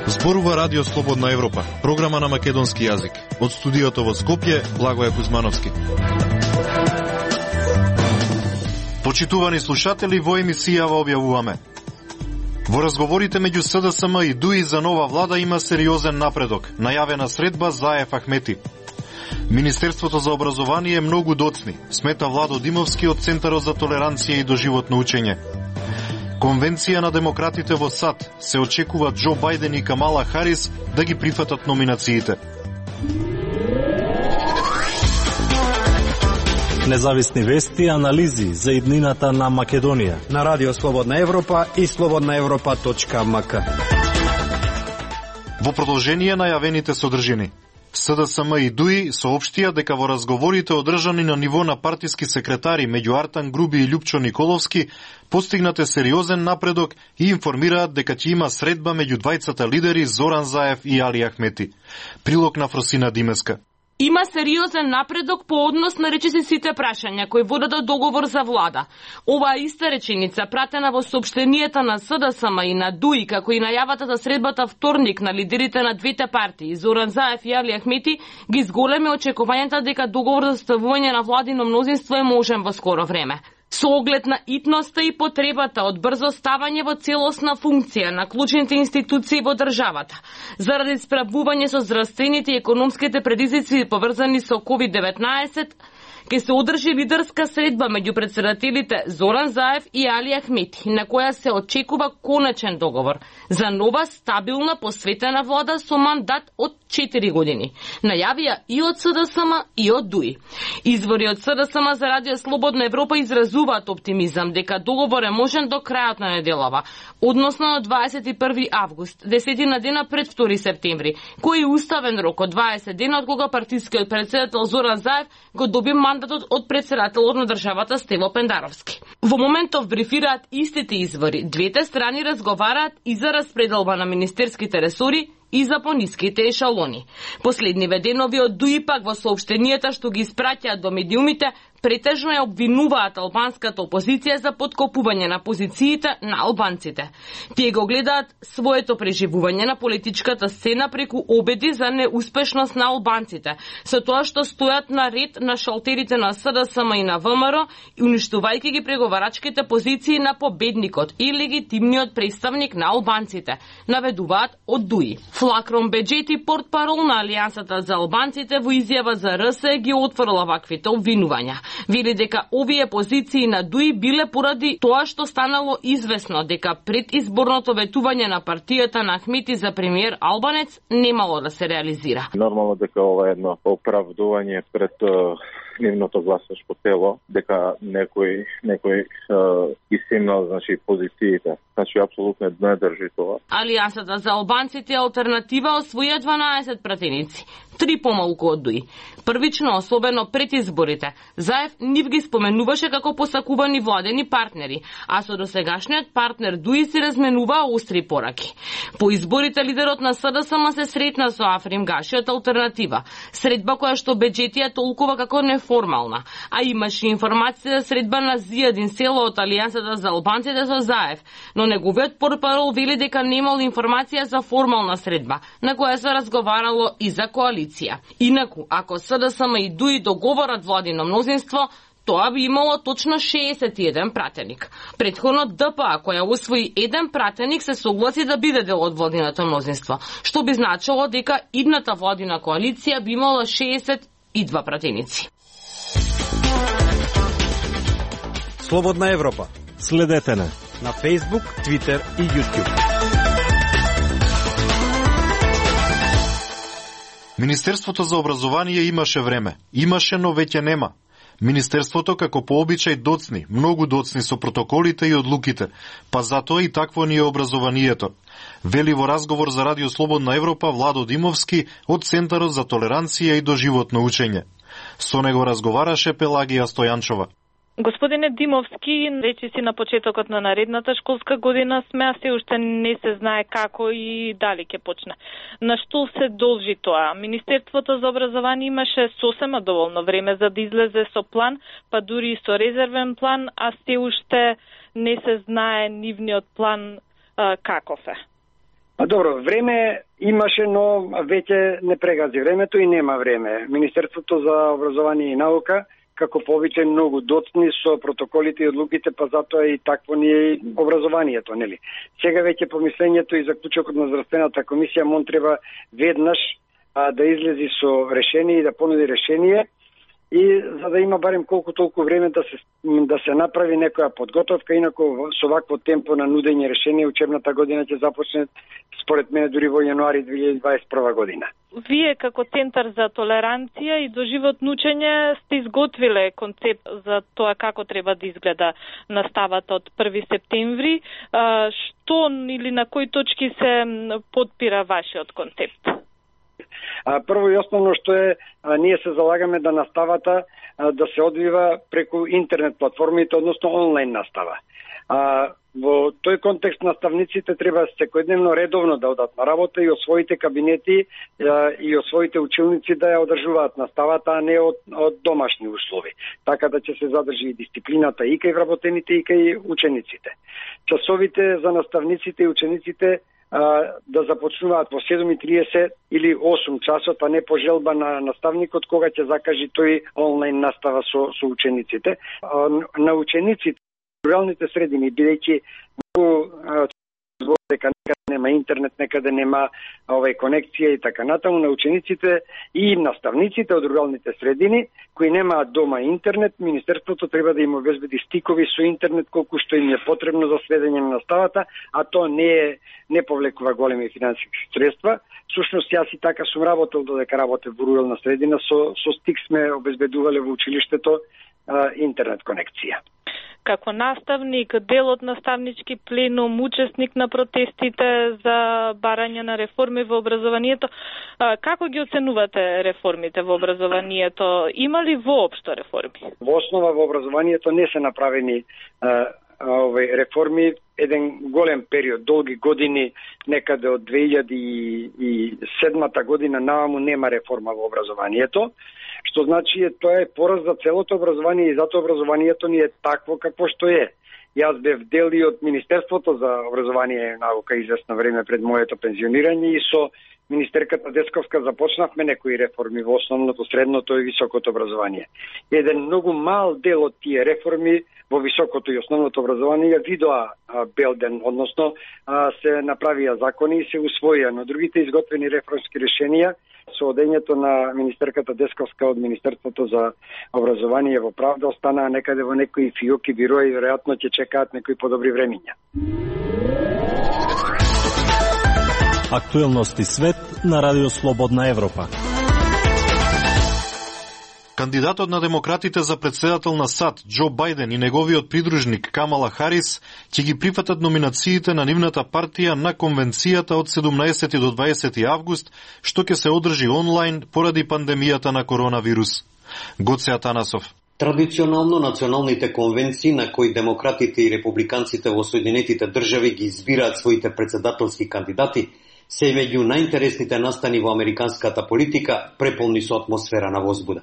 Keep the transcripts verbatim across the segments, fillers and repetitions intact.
Зборува Радио Слободна Европа, програма на македонски јазик. Од студиото во Скопје, Благоје Кузмановски. Почитувани слушатели, во емисијава објавуваме: во разговорите меѓу СДСМ и ДУИ за нова влада има сериозен напредок. Најавена средба Заев Ахмети. Министерството за образование е многу доцни, смета Владо Димовски од Центарот за толеранција и доживотно учење. Конвенција на демократите во САД се очекува Џо Бајден и Камала Харис да ги прифатат номинациите. Независни вести и анализи за иднината на Македонија на Радио Слободна Европа и слободна европа точка ем ка. Во продолжение најавените содржини. СДСМ и ДУИ соопштија дека во разговорите одржани на ниво на партиски секретари меѓу Артан Груби и Љупчо Николовски постигнате сериозен напредок и информираат дека ќе има средба меѓу двајцата лидери Зоран Заев и Али Ахмети. Прилог на Фросина Димеска. Има сериозен напредок по однос на речиси сите прашања кои водат до договор за влада. Оваа иста реченица, пратена во соопштенијата на СДСМ и на ДУИ, како и најавата за средбата вторник на лидерите на двете партии, Зоран Заев и Али Ахмети, ги зголеми очекувањата дека договор за составување на владино мнозинство е можен во скоро време. Со оглед на итноста и потребата од брзо ставање во целосна функција на клучните институции во државата, заради справување со здравствените и економските предизвици поврзани со ковид деветнаесет, ке се одржи лидерска средба меѓу претседателите Зоран Заев и Али Ахмети, на која се очекува конечен договор за нова стабилна посветена влада со мандат од четири години. Најавија и од СДСМ и од ДУИ. Извори од СДСМ за Радио Слободна Европа изразуваат оптимизам дека договор е можен до крајот на неделава, односно на дваесет и први август, десетина дена пред втори септември, кој е уставен рок од дваесет дена од кога партискиот претседател Зоран Заев го доби мандатот од претседателот на државата Стево Пендаровски. Во моментов брифираат истите извори. Двете страни разговараат и за распределба на министерските ресори и за пониските ешалони. Последниве денови од ДУИ пак во соопштенијата што ги испраќаат до медиумите претежно ја обвинуваат албанската опозиција за подкопување на позициите на албанците. Тие го гледаат своето преживување на политичката сцена преку обеди за неуспешност на албанците, со тоа што стојат на ред на шалтерите на СДСМ и на ВМРО и уништувајќи ги преговарачките позиции на победникот и легитимниот представник на албанците, наведуваат од ДУИ. Флакрон Беџети, портпарол на Алијансата за албанците, во изјава за РС ги отфрла ваквите обвинувања. Вели дека овие позиции на ДУИ биле поради тоа што станало известно дека предизборното ветување на партијата на Ахмети за премиер албанец немало да се реализира. Нормално дека ова е едно оправдување пред нивното гласачко тело, дека некој некој исимнал, значи, позициите. Значи, апсолутно не држи тоа. Алијансата за албанците алтернатива освоја дванаесет пратеници, три помалку од ДУИ. Првично, особено пред изборите, Заев нив ги споменуваше како посакувани владени партнери, а со досегашниот партнер ДУИ се разменуваа остри пораки. По изборите лидерот на СДСМ се сретна со Африм Гаши од алтернатива, средба која што Беџетија толкува како неформална, а имаше информација за средба на Зијадин Село од Алијансата за албанците со Заев, но неговиот портпарол вели дека немал информација за формална средба, на која се разговарало и за коалиција. Инаку, ако СДСМ и ДУИ договорат владино мнозинство, тоа би имало точно шеесет и еден пратеник. Претходно ДПА, која усвои еден пратеник, се согласи да биде дел од владиното мнозинство, што би значило дека идната владина коалиција би имала шеесет и два пратеници. Слободна Европа. Следете на на Facebook, Twitter и YouTube. Министерството за образование имаше време. Имаше, но веќе нема. Министерството, како по обичај, доцни, многу доцни со протоколите и одлуките, па затоа и такво ни е образованието. Вели во разговор за Радио Слободна Европа Владо Димовски од Центарот за толеранција и доживотно учење. Со него разговараше Пелагија Стојанчова. Господине Димовски, речиси на почетокот на наредната школска година сме, а се уште не се знае како и дали ќе почне. На што се должи тоа? Министерството за образование имаше сосема доволно време за да излезе со план, па дури и со резервен план, а се уште не се знае нивниот план а, каков е. А добро, време имаше, но веќе не прегази времето и нема време. Министерството за образование и наука како повеќе многу доцни со протоколите и одлуките, па затоа и такво ни е образованието, нели? Сега веќе помислењето и заклучокот на здравствената комисија мон треба веднаш а, да излези со решение и да понуди решение, и за да има барем колку толку време да се да се направи некоја подготовка, инако со вакво темпо на нудење решение учебната година ќе започне според мене дури во јануари две илјади дваесет и прва година. Вие како Центар за толеранција и доживотно учење сте изготвиле концепт за тоа како треба да изгледа наставата од први септември. Што или на кои точки се потпира вашиот концепт? А, прво и основно што е, а, ние се залагаме да наставата а, да се одвива преку интернет платформите, односно онлайн настава. А, во тој контекст наставниците треба секојдневно редовно да одат на работа и од своите кабинети а, и од своите училници да ја одржуваат наставата, а не од, од домашни услови. Така да ќе се задржи и дисциплината и кај вработените и кај учениците. Часовите за наставниците и учениците да започнуваат во седум и триесет или осум часот, а не по желба на наставникот кога ќе закажи тој онлайн настава со, со учениците. На учениците, руралните средини, бидејќи многу дека некаде нема интернет, некаде нема овај конекција и така натаму, на учениците и наставниците од руралните средини кои немаат дома интернет, Министерството треба да им обезбеди стикови со интернет колку што им е потребно за следење на наставата, а тоа не е не повлекува големи финансиски средства. Сушност јас и така сум работел додека работев во рурална средина, со со стик сме обезбедувале во училиштето а, интернет конекција. Како наставник, дел од наставнички пленум, учесник на протестите за барање на реформи во образованието, како ги оценувате реформите во образованието? Има ли воопшто реформи? Во основа во образованието не се направени а, овој реформи еден голем период, долги години, некаде од две илјади и седмата година наваму нема реформа во образованието, што значи тоа е пораз за целото образование и затоа образованието ни е такво какво што е. Јас бев дел и од Министерството за образование и наука известно време пред моето пензионирање и со министерката Десковска започнавме некои реформи во основното, средното и високото образование. Еден многу мал дел од тие реформи во високото и основното образование ја видоа белден, односно а, се направија закони и се усвоија, но другите изготвени реформски решенија со одењето на министерката Десковска од Министерството за образование во правда останаа некаде во некои фиоки бироа и веројатно ќе чекаат некои подобри времиња. Актуелности свет на Радио Слободна Европа. Кандидатот на демократите за председател на САД, Џо Бајден и неговиот придружник Камала Харис ќе ги прифатат номинациите на нивната партија на конвенцијата од седумнаесети до дваесети август, што ќе се одржи онлайн поради пандемијата на коронавирус. Гоце Атанасов. Традиционално националните конвенции на кои демократите и републиканците во Соединетите држави ги избираат своите председателски кандидати се меѓу најинтересните настани во американската политика, преполни со атмосфера на возбуда.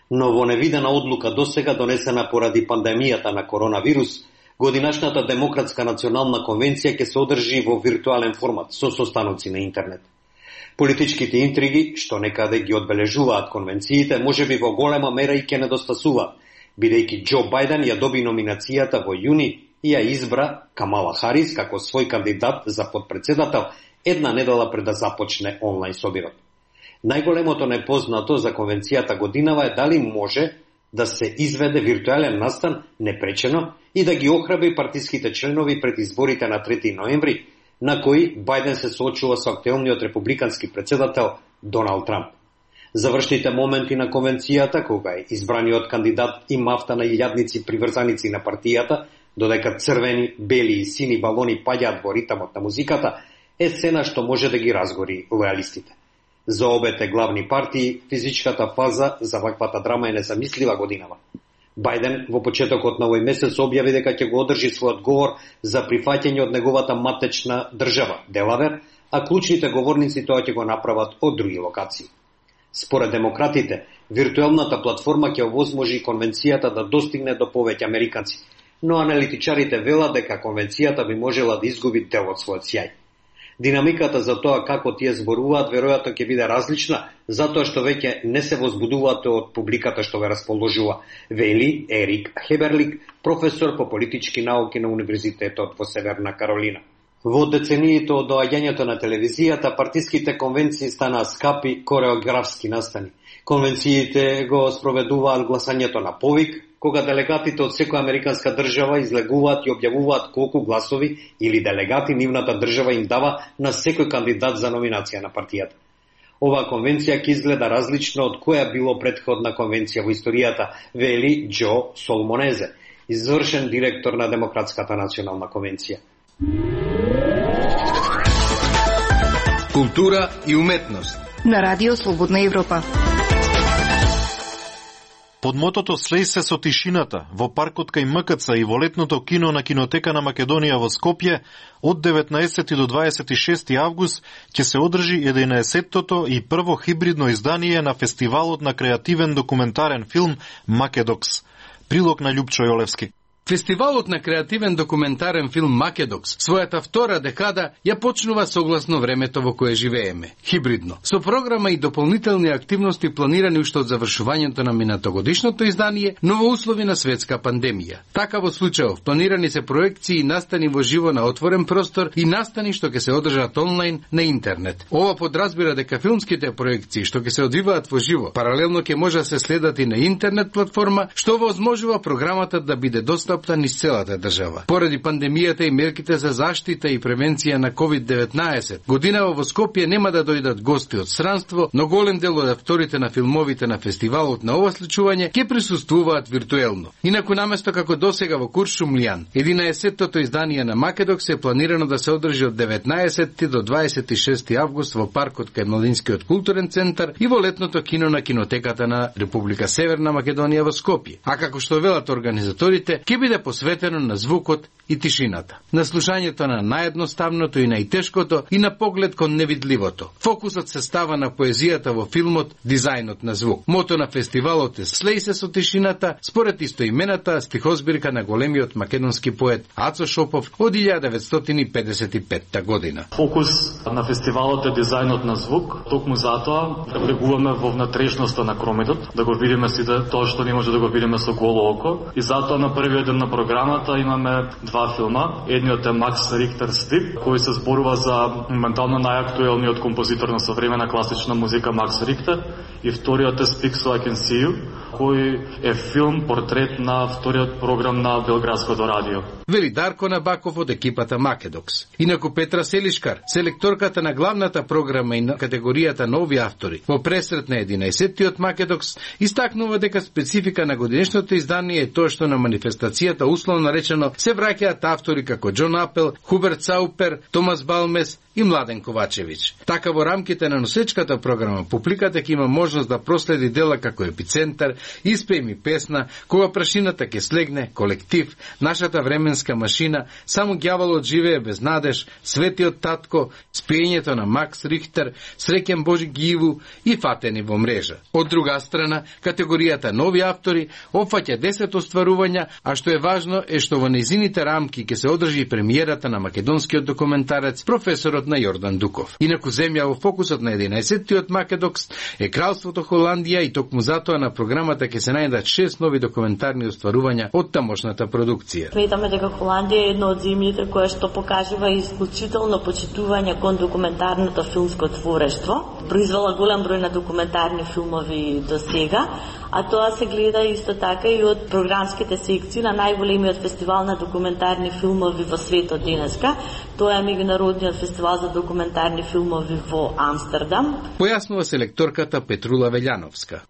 Но во невидена одлука досега донесена поради пандемијата на коронавирус, годинашната демократска национална конвенција ќе се одржи во виртуелен формат со состаноци на интернет. Политичките интриги, што некаде ги одбележуваат конвенциите, можеби во голема мера и ќе недостасуваат, бидејќи Џо Бајден ја доби номинацијата во јуни и ја избра Камала Харис како свој кандидат за подпредседател една недела пред да започне онлайн собирот. Најголемото непознато за конвенцијата годинава е дали може да се изведе виртуелен настан непречено и да ги охрабри партиските членови пред изборите на трети ноември, на кои Бајден се соочува со актуелниот републикански председател Доналд Трамп. Завршните моменти на конвенцијата, кога е избраниот кандидат и мафта на илјадници приврзаници на партијата, додека црвени, бели и сини балони паѓаат во ритамот на музиката, е сцена што може да ги разгори лојалистите. За обете главни партии, физичката фаза за ваквата драма е незамислива годинава. Бајден во почетокот на овој месец објави дека ќе го одржи својот говор за прифаќање од неговата матечна држава, Делавер, а клучните говорници тоа ќе го направат од други локации. Според демократите, виртуелната платформа ќе овозможи конвенцијата да достигне до повеќе американци, но аналитичарите велат дека конвенцијата би можела да изгуби дел од својот сјај. Динамиката за тоа како тие зборуваат веројатно ќе биде различна, затоа што веќе не се возбудуваат од публиката што ве расположува, вели Ерик Хеберлик, професор по политички науки на Универзитетот во Северна Каролина. Во децениите од доаѓањето на телевизијата, партиските конвенции станаа скапи кореографски настани. Конвенциите го спроведуваат гласањето на повик, кога делегатите од секоја американска држава излегуваат и објавуваат колку гласови или делегати нивната држава им дава на секој кандидат за номинација на партијата. Оваа конвенција ќе изгледа различно од која било претходна конвенција во историјата, вели Џо Солмонезе, извршен директор на Демократската национална конвенција. Култура и уметност на Радио Слободна Европа. Под мотото "Слеј се со тишината" во паркот кај М К Ц и во летното кино на Кинотека на Македонија во Скопје од деветнаесети до дваесет и шести август ќе се одржи единаесеттото и прво хибридно издание на фестивалот на креативен документарен филм Македокс. Прилог на Љупчо Јолевски. Фестивалот на креативен документарен филм Македокс својата втора декада ја почнува согласно времето во кое живееме, хибридно, со програма и дополнителни активности планирани уште од завршувањето на минатогодишното издание, но во услови на светска пандемија. Така во случајов планирани се проекции и настани во живо на отворен простор и настани што ќе се одржат онлайн на интернет. Ова подразбира дека филмските проекции што ќе се одвиваат во живо, паралелно ќе може да се следат и на интернет платформа, што возможува програмата да биде достапна низ целата држава. Поради пандемијата и мерките за заштита и превенција на ковид деветнаесет, годинава во Скопје нема да дојдат гости од странство, но голем дел од авторите на филмовите на фестивалот на ова случување ќе присуствуваат виртуелно. Инаку наместо како досега во Куршумлијан, единаесеттото издание на Македокс е планирано да се одржи од деветнаесети до дваесет и шести август во паркот кај Младинскиот културен центар и во летното кино на Кинотеката на Република Северна Македонија во Скопје. А како што велат организаторите, ќе биде посветено на звукот и тишината, на слушањето на наједноставното и најтешкото и на поглед кон невидливото. Фокусот се става на поезијата во филмот, дизајнот на звук. Мото на фестивалот е "Слеј се со тишината", според истоимената стихозбирка на големиот македонски поет Ацо Шопов од илјада деветстотини педесет и петта година. Фокус на фестивалот е дизајнот на звук, токму затоа влегуваме во внатрешноста на кромитот, да го видиме сите тоа што не може да го видиме со голо око, и затоа на првиот ден на програмата имаме два филма. Едниот е Макс Рихтер Стип, кој се зборува за моментално најактуелниот композитор на современа класична музика Макс Рихтер, и вториот е Speak So I Can See You, кој е филм портрет на вториот програм на Белградското радио. Вели Дарко Набаков од екипата Македокс. Инаку Петра Селишкар, селекторката на главната програма и на категоријата нови автори, во пресрет на единаесеттиот Македокс, истакнува дека специфика на годинешното издание е тоа што на манифестацијата условно речено се враќаат автори како Џон Апел, Хуберт Саупер, Томас Балмес и Младен Ковачевиќ. Така во рамките на носечката програма публиката ќе има можност да проследи дела како епицентар, испеј ми песна, кога прашината ќе слегне, колектив, нашата временска машина, само ѓаволот живее без надеж, Светиот татко, спењето на Макс Рихтер, Среќен Божи Гиву и Фатени во мрежа. Од друга страна, категоријата нови автори опфаќа десет остварувања, а што е важно е што во нејзините рамки ќе се одржи премиерата на македонскиот документарец професорот на Јордан Дуков. Инаку земја во фокусот на единаесеттиот Македокс е Кралството Холандија и токму затоа на програмата ќе се најдат шест нови документарни остварувања од тамошната продукција. Сметаме дека Холандија е едно од земјите која што покажува исклучително почитување кон документарното филмско творештво. Произвела голем број на документарни филмови до сега, а тоа се гледа исто така и од програмските секции на најголемиот фестивал на документарни филмови во светот денеска. Тоа е меѓународниот фестивал за документарни филмови во Амстердам. Појаснува селекторката Петрула Велјановска.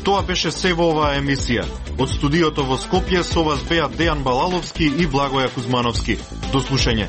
Тоа беше се во оваа емисија. Од студиото во Скопје со вас беа Дејан Балаловски и Благоја Кузмановски. До слушање.